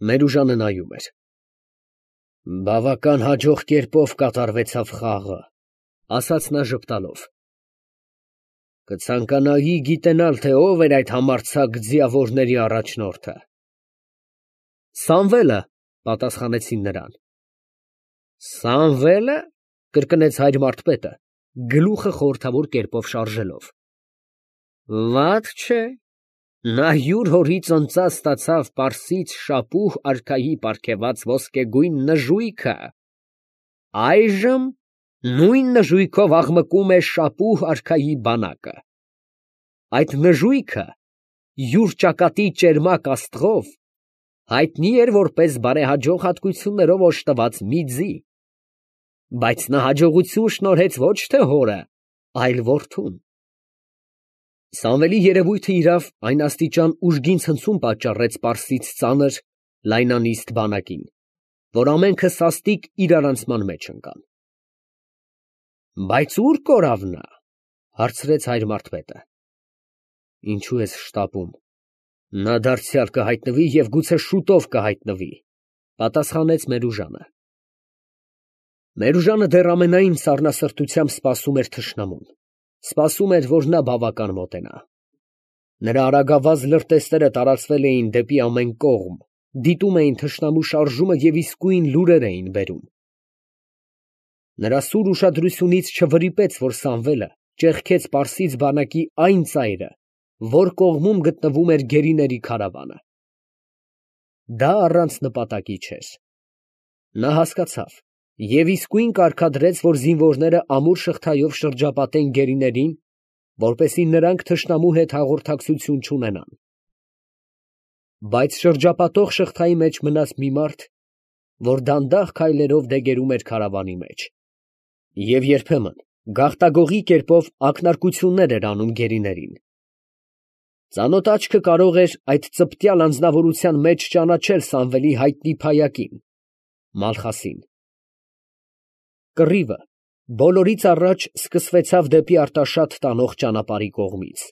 Մերուժանը նայում էր։ Բավական հաջող կերպով կատարվեցավ խաղը, ասաց նա ժպտալով։ Կցանկանայի գիտենալ, թե ով էր այդ համարձակ ձիավորների առաջնորդը։ Սամվելը, պատասխանեցին նրան։ Սամվելը, կրկնեց հայր մարդպետը, գլուխը խորհրդավոր կերպով շարժելով։ Վատ չէ, նա յուր հորից ընծած ստացավ Պարսից շապուհ արքայի պարգևած ոսկեգույն նժույգը, այժմ նույն նժույգով աղմկում է շապուհ արքայի բանակը։ Այդ նժույգը յուր ճակատի ճերմակ աստղով հայտնի էր որպես բարեհաջող հատկություններով օժտված մի ձի, բայց նա հաջողություն շնորհեց ոչ թե հորը, այլ որդուն։ Սամվելի երևույթը իրավ այն աստիճան ուժգին ցնցում պատճառեց Պարսից ծանր լայնանիստ բանակին, որ ամենքը սաստիկ իրարանցման մեջ ընկան։ Բայց ո՞ւր կորավ նա, հարցրեց հայր մարդպետը։ Ինչու ես շտապում, նա դարձյալ կհայտնվի և գուցե շուտով կհայտնվի, պատասխանեց Մերուժանը։ Մերուժանը դեռ ամենայն սառնասրտությամբ սպասում էր թշնամուն, սպասում էր, որ նա բավական մոտենա։ Նրա արագավազ լրտեսները տարածվել էին դեպի ամեն կողմ, դիտում էին թշնամու շարժումը և իսկույն լուրեր էին բերում։ Նրա սուր ուշադրությունից չվրիպեց, որ Սամվելը ճեղքեց Պարսից բանակի այն ծայրը, որ կողմում գտնվում էր գերիների քարավանը։ Դա առանց նպատակի չէր։ Նա հասկացավ և իսկույն կարգադրեց, որ զինվորները ամուր շղթայով շրջապատեն գերիներին, որպեսզի նրանք թշնամու հետ հաղորդակցություն չունենան։ Բայց շրջապատող շղթայի մեջ մնաց մի մարդ, որ դանդաղ քայլերով դեգերում էր քարավանի մեջ, և երբեմն գաղտագողի կերպով ակնարկություններ էր անում գերիներին։ Ծանոթ աչքը կարող էր այդ ծպտյալ անձնավորության մեջ ճանաչել Սամվելի հայտնի փայակին՝ Մալխասին։ Կռիվը բոլորից առաջ սկսվեցավ դեպի Արտաշատ տանող ճանապարհի կողմից,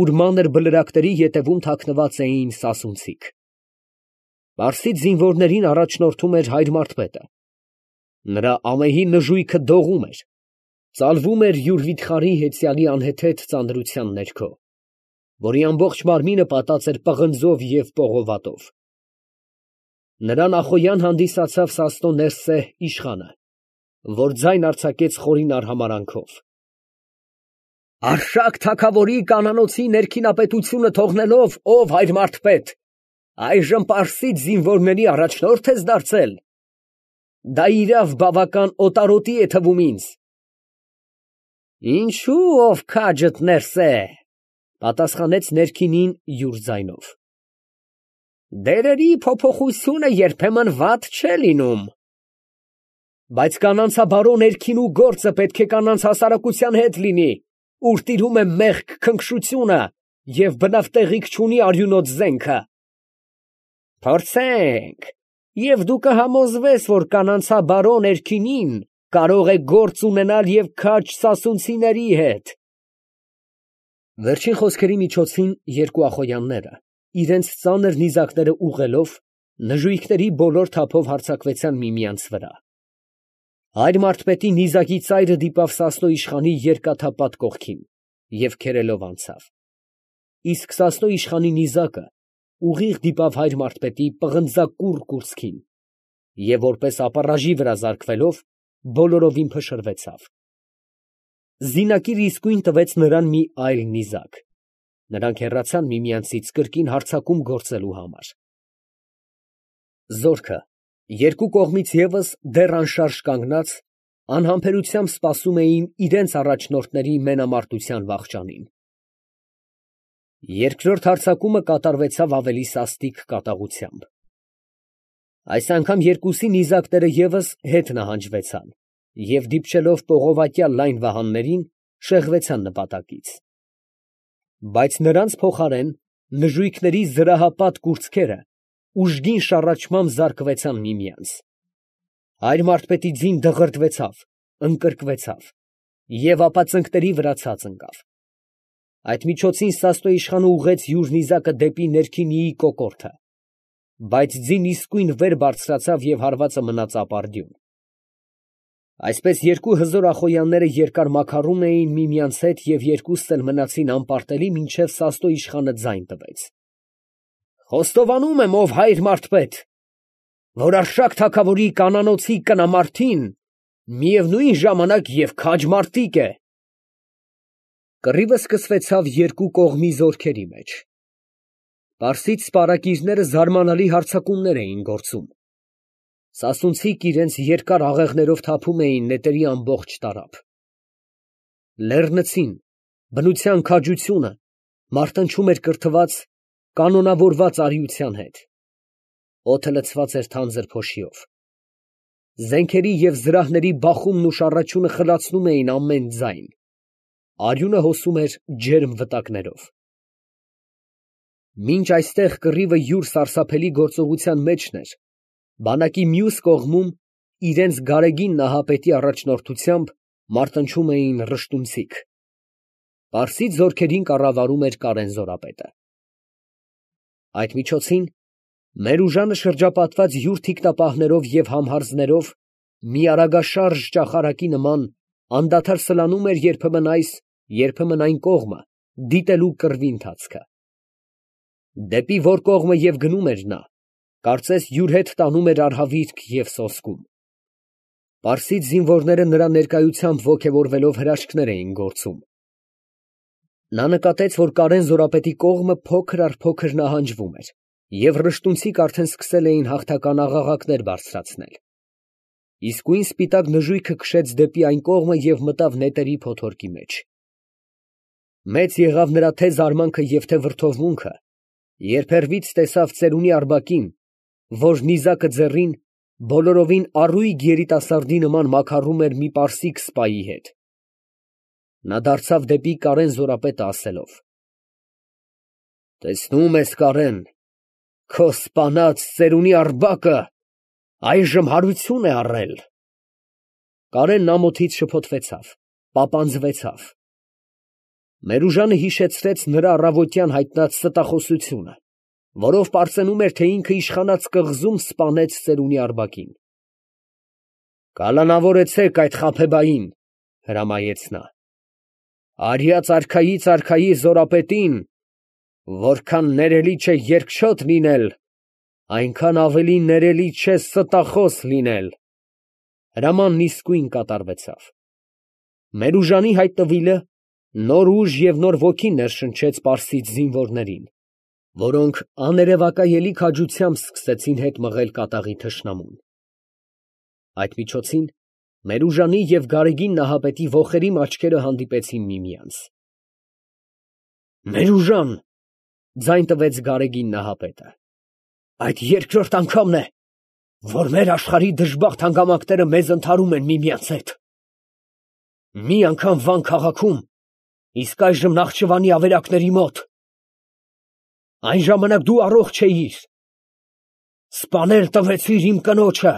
ուր մանր բլրակների ետևում թաքնված էին սասունցիք։ Պարսից զինվորներին առաջնորդում էր հայր մարդպետը։ Նրա ամեհի նժույգը դողում էր, ծալվում էր յուր վիթխարի հեծյալի անհեթեթ ծանրության ներքո, որի ամբողջ մարմինը պատած էր պղնձով և պողովատով։ Նրան նախօյան հանդիսացավ Սաստո Ներսե իշխանը, որ ձայն արձակեց խորին արհամարհանքով. Արշակ թագավորի կանանոցի ներքինապետությունը թողնելով, ով հայր մարդպետ, այժմ պարսից զինվորների առաջնորդ ես դարձել. դա իրավ բավական օտարոտի է թվում ինձ։ Ինչու ով քաջդ Ներսե, պատասխանեց ներքինին յուր ձայնով։ Դերերի փոփոխությունը երբեմն վատ չէ լինում։ Բայց կանանցաբարո ներքինու գործը պետք է կանանց հասարակության հետ լինի, ուր տիրում է մեղք քնքշությունը և բնավ տեղիք չունի արյունոտ զենքը։ Փորձենք, և դու կհամոզվես, որ կանանցաբարո ներքինին կարող է գործ ունենալ և քաջ սասունցիների հետ։ Վերջին խոսքերի միջոցին երկու ախոյանները, իրենց ծանր նիզակները ուղղելով, նժույգների բոլոր թափով հարձակվեցան միմյանց վրա։ Հայր մարդպետի նիզակի ծայրը դիպավ Սասնո իշխանի երկաթապատ կողքին և քերելով անցավ, իսկ Սասնո իշխանի նիզակը ուղիղ դիպավ հայր մարդպետի պղնձակուռ կուրծքին և որպես ապառաժի վրա զարկվելով, բոլորովին փշրվեցավ։ Զինակիրը իսկույն տվեց նրան մի այլ նիզակ։ Նրանք հեռացան միմյանցից կրկին հարձակում գործելու համար։ Զորքը երկու կողմից ևս դեռ անշարժ կանգնած, անհամբերությամբ սպասում էին իրենց առաջնորդների մենամարտության վախճանին։ Երկրորդ հարձակումը կատարվեցավ ավելի սաստիկ կատաղությամբ։ Այս անգամ երկուսի նիզակները ևս հետ նահանջվեցան և դիպչելով պողովատյա լայն վահաններին, շեղվեցան նպատակից։ Բայց նրանց փոխարեն նժույգների զրահապատ կուրծքերը ուժգին շառաչմամբ զարկվեցան միմյանց։ Հայր մարդպետի ձին դղրդվեցավ, ընկրկվեցավ և ապա ծնկների վրա ցած ընկավ։ Այդ միջոցին Սաստո իշխանը ուղղեց յուր նիզակը դեպի ներքինիի կոկորդը։ բայց ձին իսկույն վեր բարձրացավ և հարվածը մնաց ապարդյուն։ Այսպես երկու հզոր ախոյանները երկար մաքարում էին միմյանց հետ և երկուստ էլ մնացին անպարտելի, մինչև Սաստո իշխանը ձայն տվեց. «Խոստովանում եմ, ով հայր մարդպետ, որ Արշակ թագավորի կանանոցի կնամարդին միևնույն ժամանակ և քաջ մարտիկ է»։ Կռիվը սկսվեցավ երկու կողմի զորքերի մեջ։ Պարսից սպառակիրները զարմանալի հարձակումներ էին գործում։ Սասունցիք իրենց երկար աղեղներով թափում էին նետերի ամբողջ տարափ։ Լեռնցին, բնության քաջությունը մարտնչում էր կրթված, կանոնավորված արիության հետ։ Օդը լցված էր թանձր փոշիով։ Զենքերի և զրահների բախումն ու շառաչյունը խլացնում էին ամեն ձայն։ Արյունը հոսում էր ջերմ վտակներով։ Մինչ այստեղ կռիվը յուր սարսափելի գործողության մեջն էր, բանակի մյուս կողմում, իրենց գարեգին նահապետի առաջնորդությամբ, մարտնչում էին ռշտունցիք։ Պարսից զորքերին կառավարում էր Կարեն զորապետը։ Այդ միջոցին Մերուժանը շրջապատված յուր թիկնապահներով և համհարձներով, մի արագաշարժ ճախարակի նման, անդադար սլանում էր երբեմն այս, երբեմն այն կողմը, դիտելու կռվի ընթացքը։ Դեպի որ կողմը և գնում էր նա, կարծես յուր հետ տանում էր արհավիրք և սոսկում։ Պարսից զինվորները նրա ներկայությամբ ոգևորվելով հրաշքներ էին գործում։ Նա նկատեց, որ Կարեն զորապետի կողմը փոքր առ փոքր նահանջվում էր, և ռշտունցիք արդեն սկսել էին հաղթական աղաղակներ բարձրացնել։ Իսկույն սպիտակ նժույգը քշեց դեպի այն կողմը և մտավ նետերի փոթորկի մեջ։ Մեծ եղավ նրա թե զարմանքը և թե վրդովմունքը, երբ հեռվից տեսավ ծերունի Արբակին, որ նիզակը ձեռին, բոլորովին առույգ երիտասարդի նման մաքարում էր մի պարսիկ սպայի հետ։ Նա դարձավ դեպի Կարեն զորապետը, ասելով. «Տեսնում ես, Կարեն, քո սպանած ծերունի Արբակը այժմ հարություն է առել»։ Կարենն ամոթից շփոթվեցավ, պապանձվեցավ։ Մերուժանը հիշեցրեց նրա առավոտյան հայտնած ստախոսությունը, որով պարծենում էր, թե ինքը իշխանած կղզում սպանեց ծերունի Արբակին։ «Կալանավորեցեք այդ խաբեբային», հրամայեց նա։ «Արյաց արքայից արքայի զորապետին, որքան ներելի չէ երկչոտ լինել, այնքան ավելի ներելի չէ ստախոս լինել»։ Հրամանն իսկույն կատարվեցավ։ Մերուժանի հայտնվելը նոր ուժ և նոր ոգի ներշնչեց պարսից զինվորներին, որոնք աներևակայելի քաջությամբ սկսեցին հետ մղել կատաղի թշնամուն։ Այդ միջոցին Մերուժանի և գարեգին Նահապետի ոխերիմ աչքերը հանդիպեցին միմյանց։ «Մերուժան, ֊ ձայն տվեց գարեգին Նահապետը, ֊ այդ երկրորդ անգամն է, որ մեր աշխարհի դժբախտ հանգամանքները մեզ ընդհարում են միմյանց հետ։ Մի անգամ Վան քաղաքում, իսկ այժմ Նախճիվանի ավերակների մոտ։ Այն ժամանակ դու առողջ էիր, սպանել տվեցիր իմ կնոջը,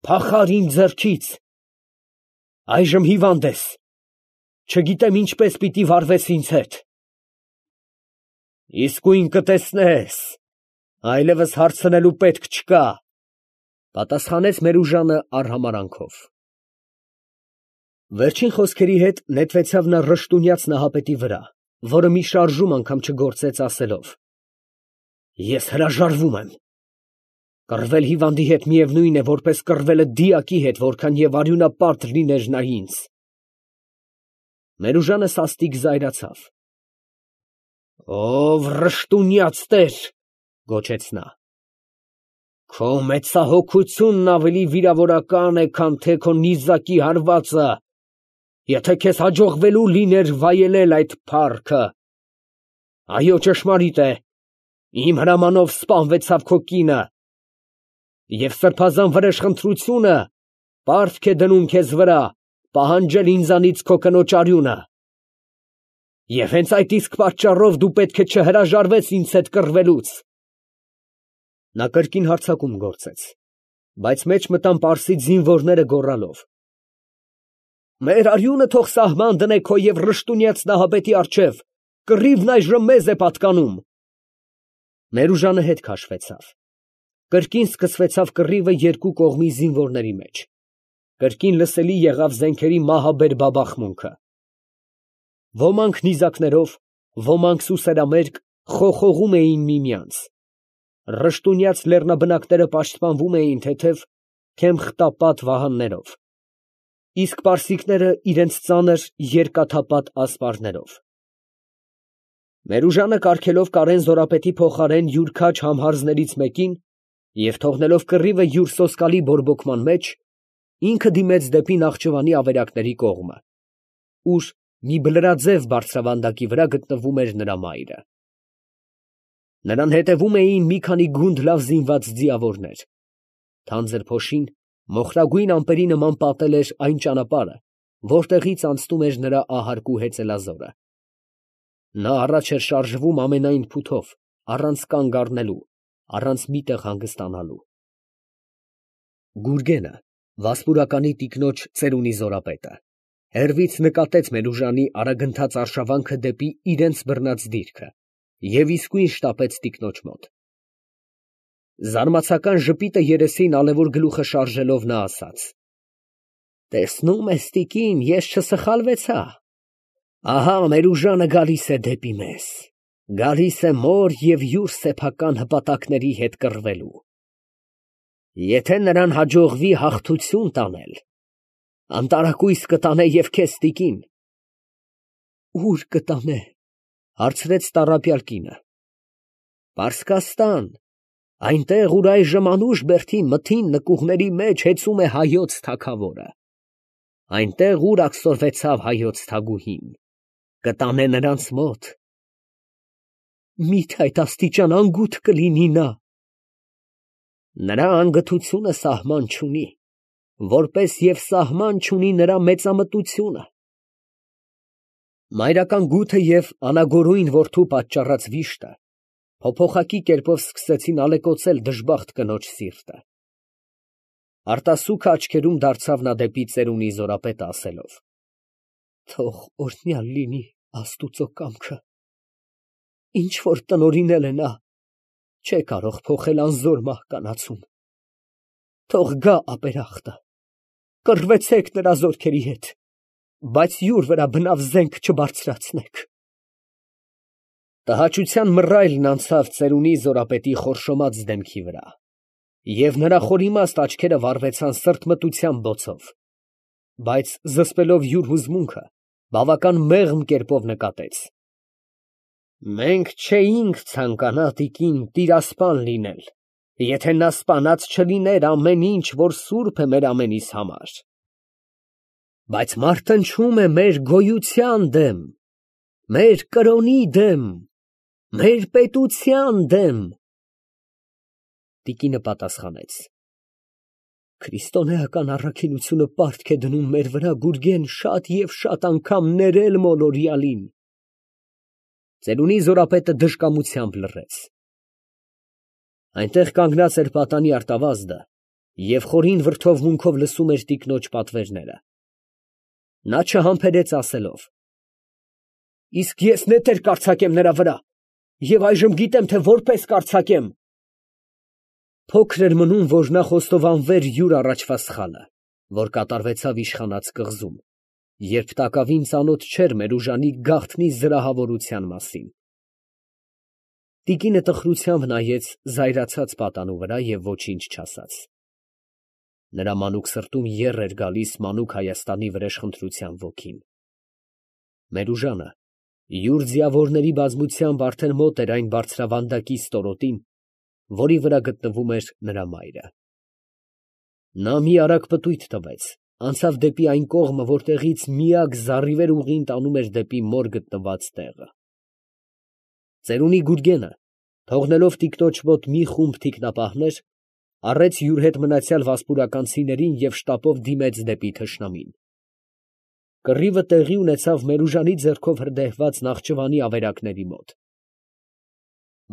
փախար իմ ձեռքից։ Այժմ հիվանդ ես, չգիտեմ ինչպես պիտի վարվես ինձ հետ։ Իսկույն կտեսնես, այլևս հարցնելու պետք չկա, ֊ պատասխանեց Մերուժանը արհամարհանքով։ Վերջին խոսքերի հետ նետվեցավ նա ռշտունյաց Նահապետի վրա, որը մի շարժում անգամ չգործեց, ասելով. «Ես հրաժարվում եմ։ Կռվել հիվանդի հետ միևնույն է, որպես կռվելը դիակի հետ, որքան և արյունապատ լիներ նա ինձ»։ Մերուժանը սաստիկ զայրացավ։ «Ով ռշտունյաց տեր, ֊ գոչեց նա, ֊ քո մեծահոգությունն ավելի վիրավորական է, քան թե քո նիզակի հարվածը, եթե քեզ հաջողվելու լիներ վայելել այդ փառքը։ Այո, ճշմարիտ է, իմ հրամանով սպանվեցավ քո կինը, և սրբազան վրեժխնդրությունը պարտք է դնում քեզ վրա պահանջել ինձանից քո կնոջ արյունը։ Եվ հենց այդ իսկ պատճառով դու պետք է չհրաժարվես ինձ հետ կռվելուց»։ Նա կրկին հարձակում գործեց, բայց մեջ մտան պարսից զինվորները գոռալով. «Մեր արյունը թող սահման դնե քո և ռշտունյաց Նահապետի առջև, կռիվն այժմ մեզ է պատկանում»։ Մերուժանը հետ քաշվեցավ, Կրկին սկսվեցավ կռիվը երկու կողմի զինվորների մեջ. կրկին լսելի եղավ զենքերի մահաբեր բաբախմունքը։ Ոմանք նիզակներով, ոմանք սուսերամերկ խոխողում էին միմյանց։ Ռշտունյաց լեռնաբնակները պաշտպանվում էին թեթև քեմխտապատ վահաններով, իսկ պարսիկները իրենց ծանր երկաթապատ ասպարներով։ Մերուժանը կարգելով Կարեն Զորապետի փոխարեն յուր քաջ համհարզներից մեկին և թողնելով կռիվը յուր սոսկալի բորբոքման մեջ, ինքը դիմեց դեպի Նախճիվանի ավերակների կողմը, ուր մի բլրաձև բարձրավանդակի վրա գտնվում էր նրա մայրը։ Նրան հետևում էին մի քանի գունդ լավ զինված ձիավորներ։ Թանձր փոշին մոխրագույն ամպերի նման պատել էր այն ճանապարհը, որտեղից անցնում էր նրա ահարկու հեծելազորը։ Նա առաջ էր շարժվում ամենայն փութով, առանց կանգ առնելու, առանց մի տեղ հանգստանալու։ Գուրգենը, վասպուրականի տիկնոջ ծերունի Զորապետը, հեռվից նկատեց Մերուժանի արագընթաց արշավանքը դեպի իրենց բռնած դիրքը և իսկույն շտապեց տիկնոջ մոտ։ Զարմացական ժպիտը երեսին ալևոր գլուխը շարժելով նա ասաց. «Տեսնում ես, տիկին, ես չսխալվեցա. ահա Մերուժանը գալիս է դեպի մեզ, գալիս է մոր և յուր սեփական հպատակների հետ կռվելու։ Եթե նրան հաջողվի հաղթություն տանել, անտարակույս կտանե և քեզ, տիկին»։ Ո՞ւր կտանե, հարցրեց տառապյալ կինը։ Պարսկաստան, այնտեղ, ուր այժմ Անուշ֊Բերդի մթին նկուղների մեջ հեծում է հայոց թագավորը, այնտեղ, ուր աքսորվեցավ հայոց թագուհին, կտանե նրանց մոտ։ Մի՞թե այդ աստիճան անգութ կլինի նա։ Նրա անգթությունը սահման չունի, որպես և սահման չունի նրա մեծամտությունը։ Մայրական գութը և անագորույն որդու պատճառած վիշտը փոփոխակի կերպով սկսեցին ալեկոծել դժբախտ կնոջ սիրտը։ Արտասուքը աչքերում դարձավ նա դեպի ծերունի Զորապետը, ասելով. «Թող օրհնյալ լինի Աստուծո կամքը, ինչ որ տնօրինել է նա, չէ կարող փոխել անզոր մահկանացուն։ Թող գա ապերախտը, կռվեցեք նրա զորքերի հետ, բայց յուր վրա բնավ զենք չբարձրացնեք»։ Տհաճության մռայլն անցավ ծերունի Զորապետի խորշոմած դեմքի վրա, և նրա խորիմաստ աչքերը վառվեցան սրտմտության բոցով, բայց զսպելով յուր հուզմունքը, բավական մեղմ կերպով նկատեց. «Մենք չէինք ցանկանա, տիկին, տիրասպան լինել, եթե նա սպանած չլիներ ամեն ինչ, որ սուրբ է մեր ամենիս համար. բայց մարտնչում է մեր գոյության դեմ, մեր կրոնի դեմ, մեր պետության դեմ»։ Տիկինը պատասխանեց. «Քրիստոնեական առաքինությունը պարտք է դնում մեր վրա, Գուրգեն, շատ և շատ անգամ ներել մոլորյալին»։ Ծերունի Զորապետը դժկամությամբ լռեց։ Այնտեղ կանգնած էր պատանի արտավազդը և խորին վրդովմունքով լսում էր տիկնոջ պատվերները։ Նա չհամբերեց ասելով. «Իսկ ես նետեր կարձակեմ նրա վրա, և այժմ գիտեմ, թե որպես կարձակեմ»։ Փոքր էր մնում, որ նա խոստովանվեր յուր առաջվա սխալը, որ կատարվեցավ իշխանած կղզում, երբ տակավին ծանոթ չէր Մերուժանի գաղտնի զրահավորության մասին։ Տիկինը տխրությամբ նայեց զայրացած պատանու վրա և ոչինչ չասաց։ Նրա մանուկ սրտում եռ էր գալիս մանուկ Հայաստանի վրեժխնդրության ոգին։ Մերուժանը յուր ձիավորների բազմությամբ արդեն մոտ էր այն բարձրավանդակի ստորոտին, որի վրա գտնվում էր նրա մայրը։ Նա մի արագ պտույտ տվեց, անցավ դեպի այն կողմը, որտեղից միակ զառիվեր ուղին տանում էր դեպի մոր գտնված տեղը։ Ծերունի Գուրգենը, թողնելով տիկնոջ մոտ մի խումբ թիկնապահներ, առեց յուր հետ մնացյալ վասպուրականցիներին և շտապով դիմեց դեպի թշնամին։ Կռիվը տեղի ունեցավ Մերուժանի ձեռքով հրդեհված Նախճիվանի ավերակների մոտ։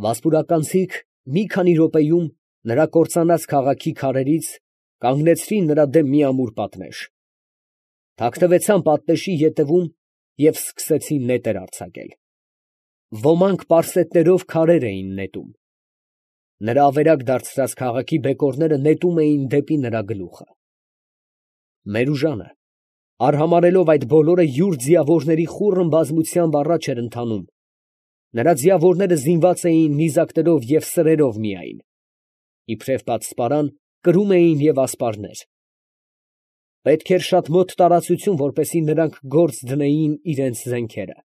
Վասպուրականցիք մի քանի րոպեում նրա կործանած քաղաքի քարերից կանգնեցրին նրա դեմ մի ամուր պատնեշ, թաքնվեցան պատնեշի ետևում և սկսեցին նետեր արձակել։ Ոմանք պարսետներով քարեր էին նետում։ Նրա ավերակ դարձրած քաղաքի բեկորները նետում էին դեպի նրա գլուխը։ Մերուժանը, արհամարհելով այդ բոլորը, յուր ձիավորների խուռն բազմությամբ առաջ էր ընթանում. նրա ձիավորները զինված էին նիզակներով և սրերով միայն, իբրև պատսպարան կրում էին և ասպարներ։ Պետք էր շատ մոտ տարածություն, որպեսզի նրանք գործ դնեին իրենց զենքերը.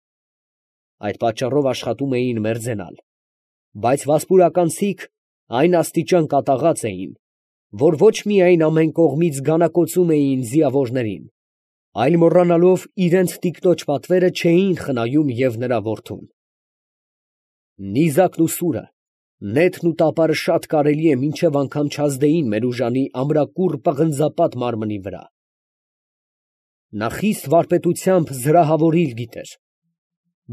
այդ պատճառով աշխատում էին մերձենալ, բայց վասպուրականցիք այն աստիճան կատաղած էին, որ ոչ միայն ամեն կողմից գանակոծում էին ձիավորներին, այլ մոռանալով իրենց տիկնոջ պատվերը չէին խնայում և նրա որդուն։ Նիզակն ու սուրը, նետն ու տապարը շատ կարելի է մինչև անգամ չազդեին Մերուժանի ամրակուռ պղնձապատ մարմնի վրա։ Նա խիստ վարպետությամբ զրահավորիլ գիտեր,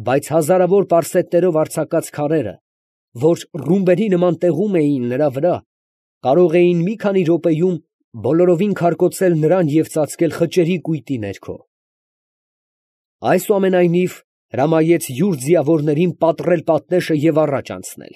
բայց հազարավոր պարսետներով արձակած քարերը, որ ռումբերի նման տեղում էին նրա վրա, կարող էին մի քանի րոպեում բոլորովին քարկոծել նրան և ծածկել խճերի կույտի ներքո։ Այսուամենայնիվ, հրամայեց յուր ձիավորներին պատռել պատնեշը և առաջ անցնել։